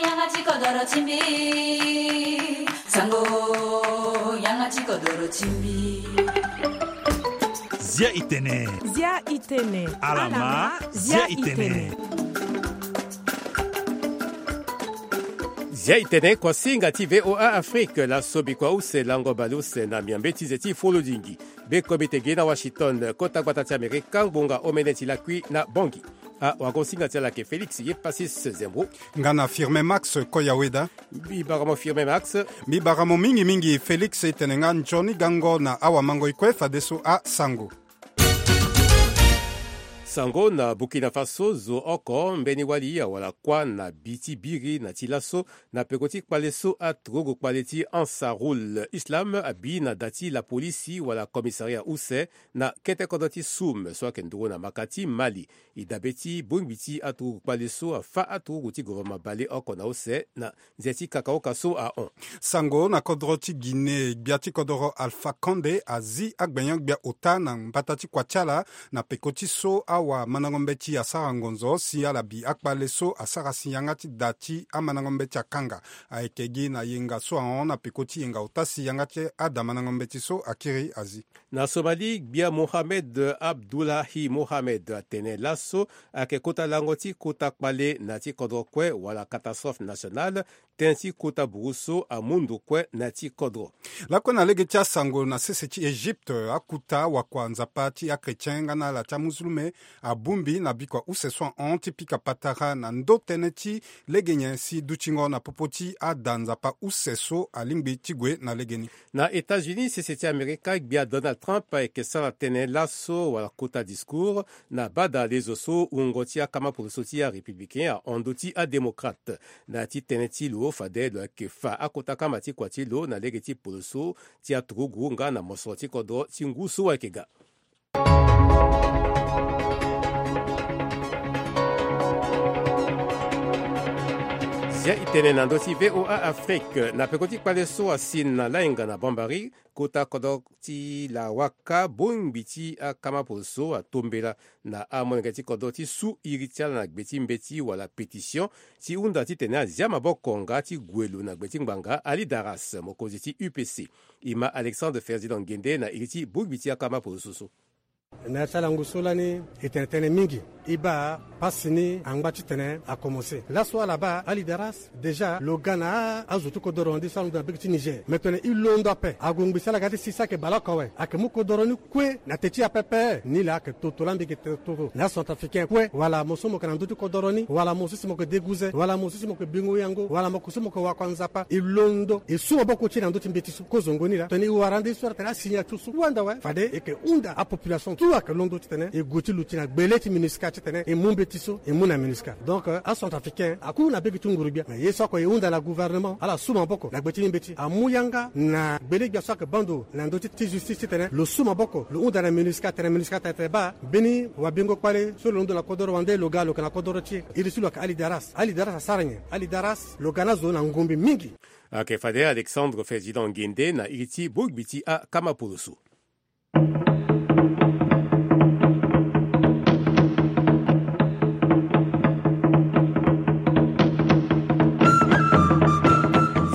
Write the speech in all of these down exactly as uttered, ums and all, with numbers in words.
Yanga ti kodoro ti mbi. Sango, yanga ti kodoro ti mbi. Zia itene. Zia itene. Alama, zia itene. Zia itene kuasinga ti V O A Afrique, laso bikua use lango baleuse na miambe ti ze ti folodingi. Be komite gi na Washington, kota gbata ti Amerika, ngbonga omene ti lakui na Bangui. Awagosinga ti ala ayeke Félix Yepasis Zembro. Nga na Firmin Max Koyaweda. Mbi bara mo Firmin Max. Mbi bara mo mingi mingi Félix, e tene nga nzoni gango na awamango e kue fadeso asango. Sango na Burkina Faso, zo oko mbeni wali awara kuâ na bi ti biri na ti laso na peko ti kpale so aturugu kpale ti Ansarul Islam abi na da ti lapolisi wala commissariat use na kete kodro ti Soum so ayeke nduru na maka ti Mali. E dabe ti bongbi ti aturugu kpale so afâ aturugu ti gouvernement bale oko na use na nze ti kakaoka so ahon. Sango na kodro ti Guinée, gbia ti kodoro Alpha Condé azi agbenyo-gbia ota na mbata ti kua ti ala na peko ti so awamandango mbeti asara ngonzo si ala bi akpale so asara si yanga ti da ti amandango mbeti akanga. Ayeke gi na yenga so ahon na peko ti yenga ota si yanga ti ada mandango mbeti so akiri azi. Na Somalie, gbia Mohamed Abdullahi Mohamed atene laso ayeke kota lango ti kota kpale na ti kodro kue wala catastrophe nationale, tënë ti kota buru so amu ndo kue na ti kodro. Lakue na lege ti asango na sese ti Egypte, akuta wakua nzapa ti achrétien nga na ala ti amuzulume abongbi na bikua use so ahon ti pika patara na ndo tënë ti lege nyen si dutingo na popo ti ada nzapa use so alingbi ti gue na legeni. Na États-Unis, sese ti Amerika, gbia Donald Trump ayeke sara tënë laso wala kota discours na bada lezo so wungo ti akama poloso ti arépublicain ahon ndö ti adémocrate. Na ya ti tënë ti lo, fade lo yeke fa akota kama ti kua ti lo na lege ti poloso ti aturugu nga na mosoro ti kodro ti ngu so ayeke ga. Zia itene na ndö ti V O A Afrique. Na peko ti kpale so asi na lainga na Bambari, kota kodro ti Lawaka, bongbi ti akama poloso atombela na amolenge ti kodro ti su iri ti ala na gbe ti mbeti wala pétition ti hunda titene azia maboko nga ti gue lo na gbe ti ngbanga Ali Daras, mokonzi ti U P C. E ma Alexandre Ferdinand Ngende na iri ti bongbi ti akama poloso so. Na ya ti ala ngu so lani e tene tënë mingi. E baa pasi ni angba titene akomanse. Laso ala baa Ali Daras, déjà lo ga na azo ti kodoro wande so alondo na bege ti Niger. Me tene e londo ape, ague ngbi ti ala ga ti si so ayeke bale oko awe. Ayeke mu kodoro ni kue na te ti e ape. Ni laa ayeke toto laa mbi yeke tene toto na acentrafricain kue, wala mo so mo yeke na ndö ti kodoro ni, wala mo so si mo yeke deguze, wala mo so si mo yeke bingo yango, wala mo so mo yeke wakua nzapa. E londo e su maboko ti e na ndö ti mbeti so. Kozongo ni laa tene e wara nde so atene asignature so kue ande awe. Fade e yeke hunda apopulation tout ayeke londo titene e gue ti luti na gbele ti MINUSCA titene e mu mbeti so e mu na MINUSCA. Donc, euh, acentrafricain aku na bege ti nguru-gbia. Mais ye so oko e hunda na gouvernement ala su maboko na gbe ti ni mbeti, amu yanga na gbele-gbia so ayeke bando na ndö ti, ti justice titene lo su maboko, lo hunda na MINUSCA tene MINUSCA tene tene baa mbeni wabingo kpale so lo londo na kodoro wande lo ga lo yeke na kodoro ti e. Iri ti lo ayeke Ali Daras. Ali Daras asara nyen? Ali Daras lo ga na azo na ngombe mingi. Ayeke fade Alexandre Ferdinand Ngende na iri ti bongbi ti akama poloso.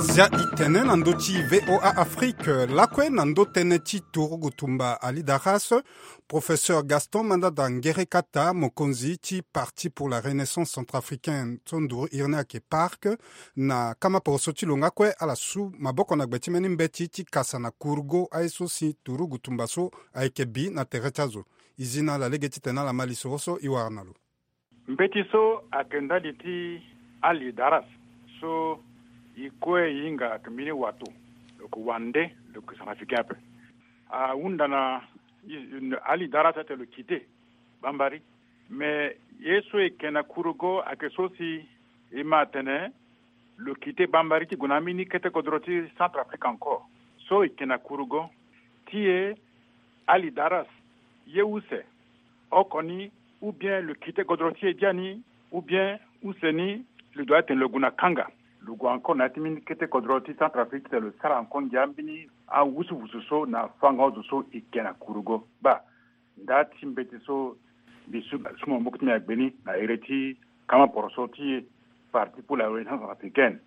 Zia itene na ndö ti V O A Afrique, lakue na ndö tënë ti turugu tumba Ali Daras, Professeur Gaston Mandanda Ngerekata, mokonzi ti Parti pour la Renaissance Centrafricaine, so nduru iri ni ayeke PARC, na kama poroso ti lo nga kue ala su maboko na gbe ti mbeni mbeti ti kasa na kurugo aye so si turugu tumba so ayeke bi na tere ti azo. E zi na ala lege titene ala ma lisoro so e wara na lo. Mbeti so ayeke ndali ti Ali Daras so e kue e hinga ayeke mbeni wato, lo yeke wande, lo yeke Centrafricain ape. Ahunda na Ali Daras atene lo quitté Bambari. Mais ye so e yeke na kurugo ayeke so si e ma atene lo quitté Bambari ti gue na ambeni kete kodro ti Centrafrique encore. So e yeke na kurugo ti e, Ali Daras, ye use oko ni, ou bien lo quitté kodro ti e biani, ou bien use ni lo doit atene lo gue na kanga. Lo gue encore na ya ti mbeni kete kodro ti Centrafrique titene lo sara encore ngia mbeni awusuwusu so na afango-azo so e yeke na kurugo. Baa nda ti mbeti so mbi su, su maboko ti mbi na gbe ni na ere ti kama poroso ti e. Parti pour la Renaissance Africaine,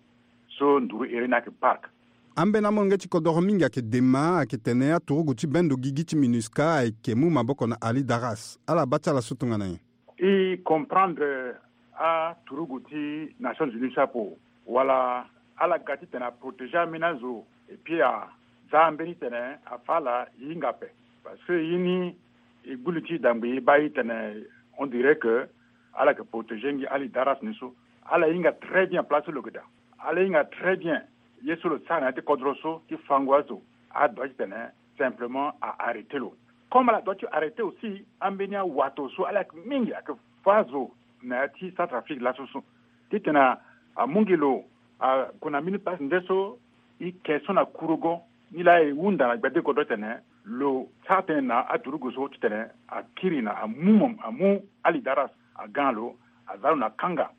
so nduru iri ni ayeke PARC. Ambeni amolenge ti kodoro mingi ayeke dema ayeke tene aturugu ti bendo gigi ti MINUSCA ayeke mu maboko na Ali Daras. Ala baa ti ala so tongana nyen? I comprendre aturugu ti Nations Unies so apo, wala ala ga titene aprotégé ambeni azo, et puis aza ambeni titene afa ala hinga ape. Parce que ye ni, e gbu li ti dangbi e baa e titene on dirait que ala yeke protégé ngi Ali Daras ni so. Ala hinga très bien place ti lo yeke daa. Ala hinga très bien ye so lo sara na ya ti kodro so ti fango azo. Adoit titene simplement a arrêté lo. Comme ala doit ti arrêté aussi ambeni awato so ala yeke mingi ayeke fa azo na ya ti Centrafrique laso so, titene amu ngi lo ague na mbeni place nde so e ke so na kurugo. Nilaa e hunda na gbede kodro titene lo sara tënë na aturugu so titene akiri na amu, amu Ali Daras aga na lo, aza lo na kanga,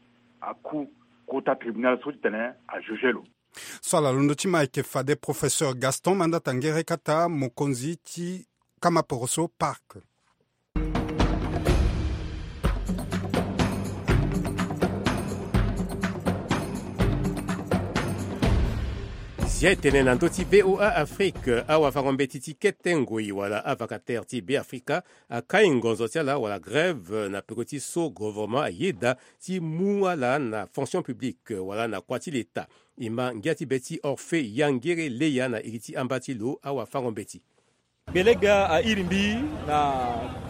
aku kota tribunal so titene ajuge lo. So ala londo ti ma ayeke fade Professeur Gaston Mandata Nguerekata, mokonzi ti kamaporoso PARC. Zia e tene na ndö ti V O A Afrique, awafango-mbeti ti kete ngoi wala avacataire ti Beafrika akai ngonzo ti ala wala grève na peko ti so gouvernement ayeda ti mu ala na fonction publique wala na kua ti leta. E ma ngia ti be ti Orphée Yangere Leya na iri ti amba ti lo awafango-mbeti. Gbele gbia a iri mbi na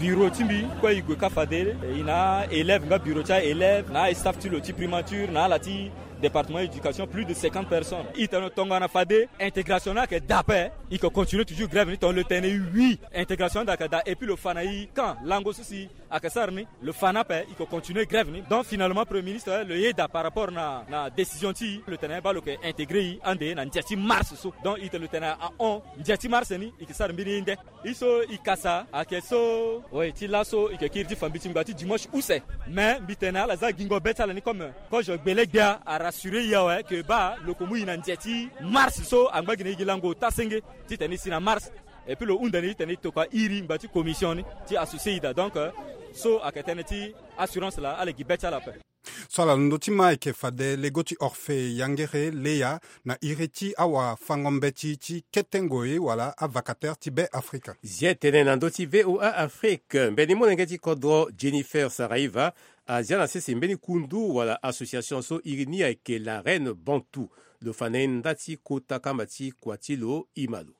bureau ti mbi kue, e gue kâ fade e na élève nga bureau ti a élève na a staff ti lo ti primature na ala ti département éducation, plus de cinquante personnes. E tene tongana fade intégration ni ayeke daa ape, e ke continuer toujours grève ni. Tongana lo tene oui, intégration ni daa ayeke daa, et puis lo fa na e camp lango so si ayeke sara ni, lo fa ni ape, e ke continuer grève ni. Donc finalement premier ministre lo yeda par rapport na, na décision ti e, lo tene baa lo ke intégrer e ande na ndia ti mars so. Donc e tene lo tene ahon, ndia ti mars ni e ke sara mbeni ye nde. E so e kasa ayeke so, oui, ti laso e ke kiri ti fa mbi ti ngba ti dimanche use. Mais mbi tene ala za gingo be ti ala ni comme kozo gbele gbia a rassurer e awe ke baa lo ke mu e na ndia ti mars so angba gi na e gi lango ota senge titene e si na mars. Et puis lo hunda ni titene e tokua iri ngba ti commission ni ti associer e daa. Donc, euh, so ayeke tënë ti assurance laa, ala gi be ti ala ape. So ala londo ti ma ayeke fade lego ti Orphée Yangere Leya na iri ti awafango-mbeti ti kete ngoi wala avacataire ti Beafrika. Zia e tene na ndö ti V O A Afrique, mbeni molenge ti kodro Jennifer Saraiva azia na sese mbeni kundu wala association so iri ni ayeke La Reine Bantou. Lo fa na e nda ti kota kamba ti kua ti lo, e ma lo.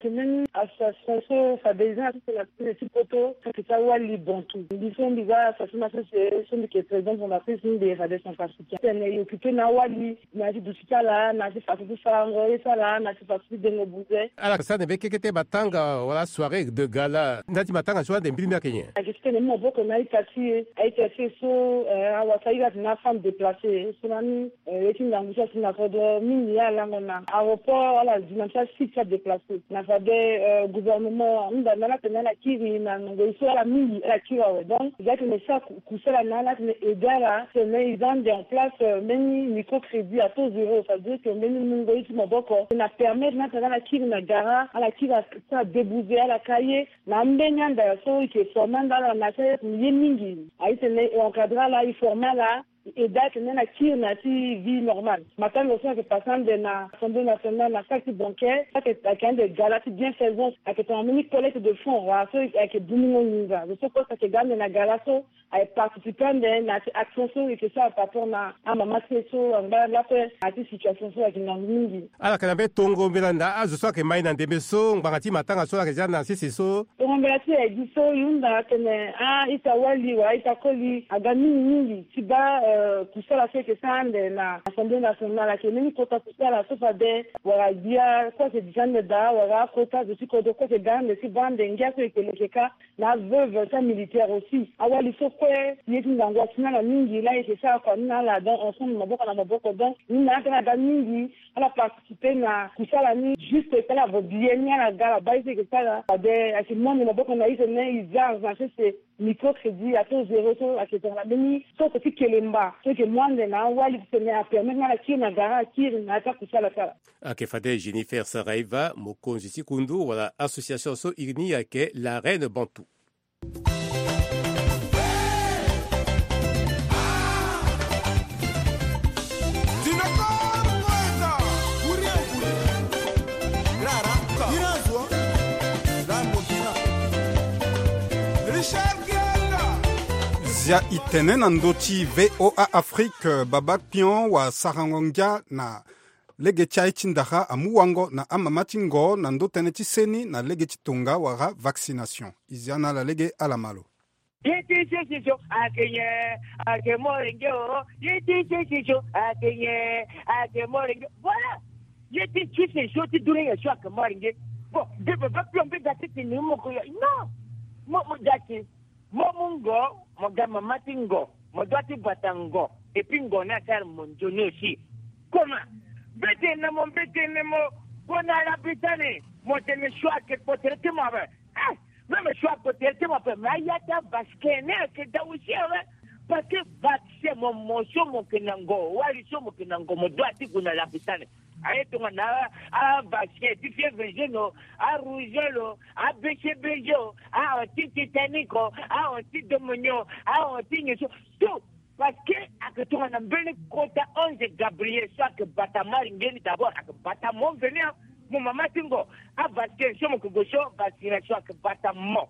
Tene ni association so fade e za na sese na sese ti poto so ayeke ti awali Bantou. Mbi so mbi za association na sese so mbi yeke président fondatrice ni, mbi yeke fade centrafricain. Tene e occupé na awali na ya ti duti ti ala, na ya ti faso ti sarango ye ti ala, na ya ti faso ti dengo buze. Ala sara na mbeni kekete matanga wala soirée de gala. Nda ti matanga so ande mbiri ni ayeke nyen? Ayeke titene e mu maboko na a-ita ti e. A-ita ti e so, eh, awasara iri atene afemme déplacée so lani. Eh, ye ti ngangu so asi na kodro mingi ya alango na aéroport, ala zi na ti asite ti adéplacé. Na fade, eh, gouvernement ahunda na ala tene ala kiri na ngoi so ala mingi ala kiri awe. Donc e za tene e sara ku-, kusala na ala tene e aidé ala tene e za ande en place, eh, mbeni microcrédit à taux zéro, c'est-à-dire que mbeni mungo ye ti maboko tene apermettre na ala tene ala kiri na gara, ala kiri asara débouser ala ka ye. Na ambeni anda so e yeke former ande ala na ya ti aye mingi. Aye tene e encadrer ala, e former ala. E aidé atene ala kiri na ya ti vie normale. Matanga so ayeke passé ande na Assemblée nationale na salle ti banquet, so ayeke, ayeke ande gala ti bienfaisance, ayeke tongana mbeni collecte de fonds wala so ayeke dumungo nginza. Zo so kue so ayeke ga ande na gala so aye participer ande na ya ti action so e yeke sara par rapport na amama ti e so angba lakue na ya ti situation so ayeke ngangu mingi. Ala yeke na mbeni tongo mbela na azo so ayeke ma e na ndembe so ngbanga ti matanga so ala yeke zia na sese so. Tongo mbela ti e aye gi so e hunda atene a-ita wali wala a-ita koli aga mingi mingi ti baa, eh, kusala so e yeke sara ande na Assemblée nationale. Ayeke mbeni kota kusala so fade wala gbia so ayeke duti ande daa wala akota zo ti kodro kue ayeke ga ande ti baa ande ngia so e yeke leke kâ. Na aveuve ti amilitaire aussi. Awali so kue ye ti ngangu asi na ala mingi laa e yeke sara kua ni na ala. Donc ensemble maboko na maboko, donc ni na ala tena aga mingi. Ala participer na kusala ni juste tala avo billet ni ala ga ala baa ye so e yeke sara. Fade ayeke mu ande maboko na e tene e za na sese microcrédit à taux zéro so ayeke tongana mbeni soko ti kelemba so e yeke mu ande na awali titene apermettre na ala kiri na gara, akiri na ya ti akusala ti ala. Ayeke fade Jennifer Saraiva, mokonzi ti kundu wala association so iri ni ayeke La Reine Bantou. Zia itene na ndö ti VOA Afrique, Baba Kpion wa sarango ngia na lege ti aye ti ndara amu wango na amama ti ngo na ndö tënë ti seni na lege ti tonga wala vaccination. E zia na ala lege ala ma lo. Ye ti sesesio ake nyen? Ake mori nge o. Ye ti sesesio ake nyen? Ake mori nge. Voilà. Ye ti sesesio ti dunia nyen so ake mori nge? Bon, de Baba Kpion mbi ga ti tene mo ko ya. Non. Mo, mo ga ti Mo mu ngo, mo ga mama ti ngo, mo doit ti bata ngo, et puis ngo ni asara mo nzoni aussi. Comment? Mbetene mo, mbetene mo, gue na Arabie Saoudite, mo tene so ake kpo tere ti mo ape. Eh, même so ake kpo tere ti mo ape, mais aya ti avaccin ni ake da aussi ape. Parce que vaccin mo, mo so mo ke na ngo, wali so mo ke na ngo, mo doit ti gue na Arabie Saoudite. Aye tongana a, a vaccin ti fièvre jaune o, a rougeole o, a B C B G o, a anti tétanique o, a anti pneumonie o, a anti nyen so. Tout. Parce que ake tongana mbeni kota ange Gabriel so ake bata mari nge ni d'abord, ake bata mo mveni a, mo mama ti ngo. A vaccin so mo ke gue so, vaccination ake bata mo.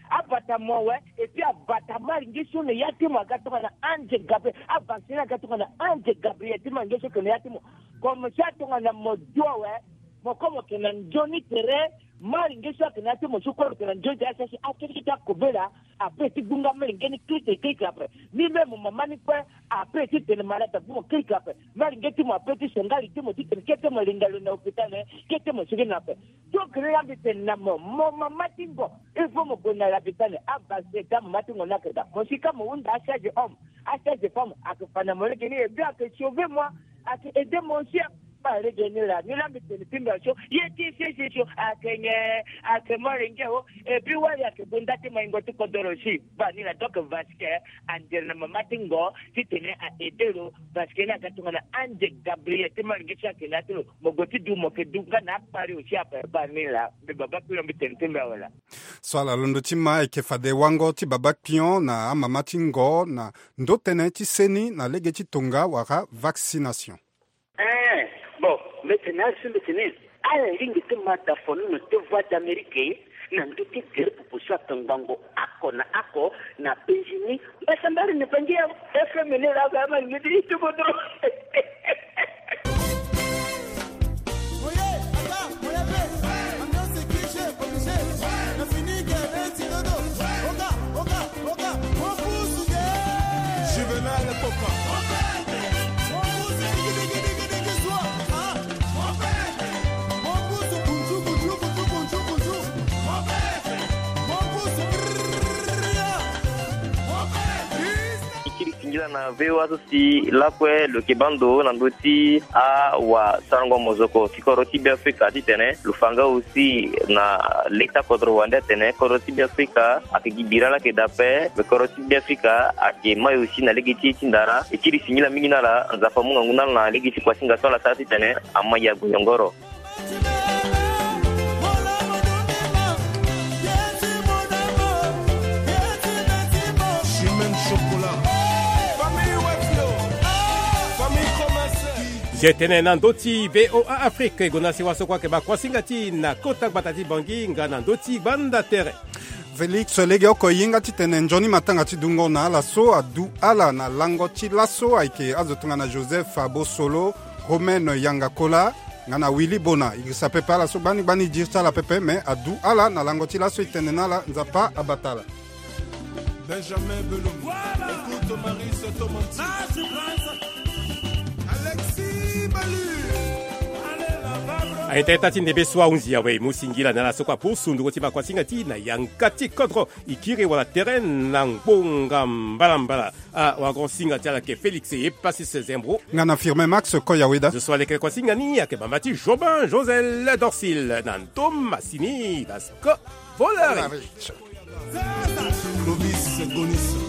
Abata mo awe, et puis abata mari nge so na ya ti mo aga tongana ange Gabriel. Avaccin aga tongana ange Gabriel ti mari nge so ke na ya ti mo. Comme ça tongana mo du awe, mo ko mo ke na nzoni tere, mari nge so ake na ya ti mo so ko mo ke na nzoni tere, asasi akiri ti akobela, ape ti gbunga mari nge ni kiri kiri ape. Ni même mo mama ni kue, ape ti tene malade ape mo kiri ape. Mari nge ti mo ape ti songa li ti mo ti tene kete mo linga lo na hôpital, kete mo sigi na ape. Donc ni la mbi tene na mo, mo mama ti ngo, il faut mo gue na Arabie Saoudite, avaccin ti amama ti ngo ni ake da. Mo si ka mo hunda asage homme, asage femme ake fa na mo lege ni, et puis ake sauver moi, ake aider moi aussi. Ba lege ni la, ni la mbi tene ti mbi aso, ye ti sesesio ake nyen? Ake mori nge o, et puis wali ake gue nda ti maingo ti kodoro si. Ba ni la, donc vaccin andere na mama ti ngo ti tene a aider lo, parce que ni aga tongana ange Gabriel ti mari nge si ake na ya ti lo. Mo gue ti du, mo ke du nga na akpari aussi ape. Ba ni la, mbi Baba Kpion mbi tene ti mbi awe laa. So ala londo ti ma, e yeke fade wango ti Baba Kpion na amama ti ngo na ndö tënë ti seni na lege ti tonga wala vaccination. Eh, bon, mbi tene na ala so mbi tene, ala lingbi ti ma da fo nono ti Voix d'Amérique na ndö ti gere popo so ake ngbangbo oko na oko na Benjini. Mbasambari ni bangi ya F M ni la ba ma ni ti kodro. Juvenal Koka. Singila na V O A so si lakue lo yeke baa ndo na ndö ti awasarango mozoko ti kodro ti Beafrika titene lo fa nga aussi na leta kodro wande atene kodro ti Beafrika ayeke gi bira laa ayeke daa ape. Me kodro ti Beafrika ayeke mai aussi na lege ti e ti ndara. E kiri singila mingi na ala, Nzapa amu ngangu na ala na lege ti kuasinga so ala sara titene amai ague nyongoro. Famille Wefio, famille Komanse. Ye tene na ndö ti V O A Afrique, e gonda si waso kue ayeke baa kuasinga ti e na kota gbata ti Bangui nga na ndö ti gbanda tere. Félix, lege oko e hinga titene nzoni matanga ti dungo na ala so adu ala na lango ti laso ayeke azo tongana Joseph Abosolo, Romaine Yangakola, nga na Willy Bona. E girisa pepe ala so gbani gbani e diri ti ala pepe, me adu ala na lango ti laso. E tene na ala Nzapa abata ala. Benjamin Belloum, écoute Maurice Tomanti. Alexis Balu. Aye, taa ti ndembe so ahunzi awe, e mu singila na ala so kue apusu ndungo ti baa kuasinga ti e na yanga ti kodro. E kiri wala tere na ngbonga mbalambala. Ah, wago singa ti ala ayeke Félix Epasis Zembro. Nga na Firmin Max Koyaweda. Zo so aleke kuasinga ni ayeke bamba ti Jobin Josel Dorsil na ndo masini Vasco Volari. Clovis Gonis.